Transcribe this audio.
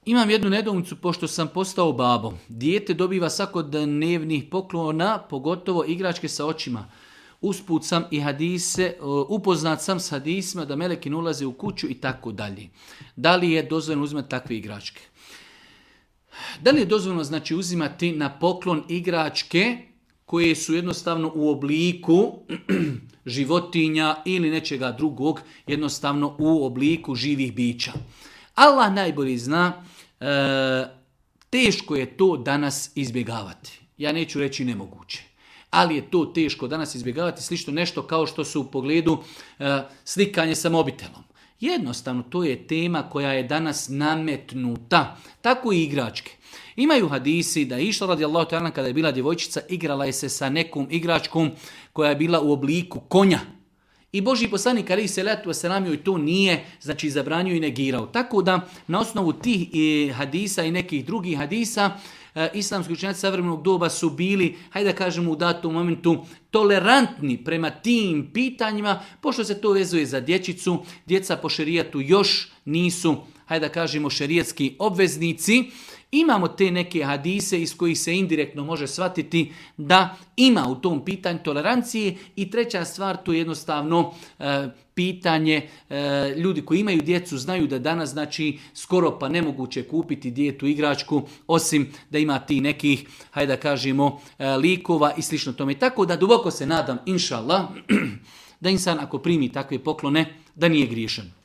Imam jednu nedoumicu, pošto sam postao babo. Dijete dobiva svakodnevnih poklona, pogotovo igračke sa očima. Usput sam i hadise, upoznat sam s hadisima da meleki ne ulaze u kuću i tako dalje. Da li je dozvoljeno uzimati takve igračke? Da li je dozvoljeno znači uzimati na poklon igračke koje su jednostavno u obliku životinja ili nečega drugog, jednostavno u obliku živih bića? Allah najbolje zna, teško je to danas izbjegavati. Ja neću reći nemoguće. Ali je to teško danas izbjegavati, slično nešto kao što su u pogledu slikanje sa mobitelom. Jednostavno, to je tema koja je danas nametnuta. Tako i igračke. Imaju hadisi da je išla radijallahu ta'ala kada je bila djevojčica, igrala je se sa nekom igračkom koja je bila u obliku konja. I Božji poslanik alejhi selatu vesselam joj to nije, znači zabranio i negirao. Tako da na osnovu tih hadisa i nekih drugih hadisa islamski učenjaci savremenog doba su bili, hajde da kažemo u datom momentu, tolerantni prema tim pitanjima, pošto se to vezuje za dječicu. Djeca po šerijatu još nisu, hajde da kažemo, šerijatski obveznici. Imamo te neke hadise iz kojih se indirektno može shvatiti da ima u tom pitanju tolerancije. I treća stvar, to je jednostavno pitanje, ljudi koji imaju djecu znaju da danas znači skoro pa nemoguće kupiti djetu igračku, osim da ima ti nekih, hajde da kažemo, likova i slično tome. Tako da duboko se nadam, inša Allah, da insan ako primi takve poklone, da nije griješan.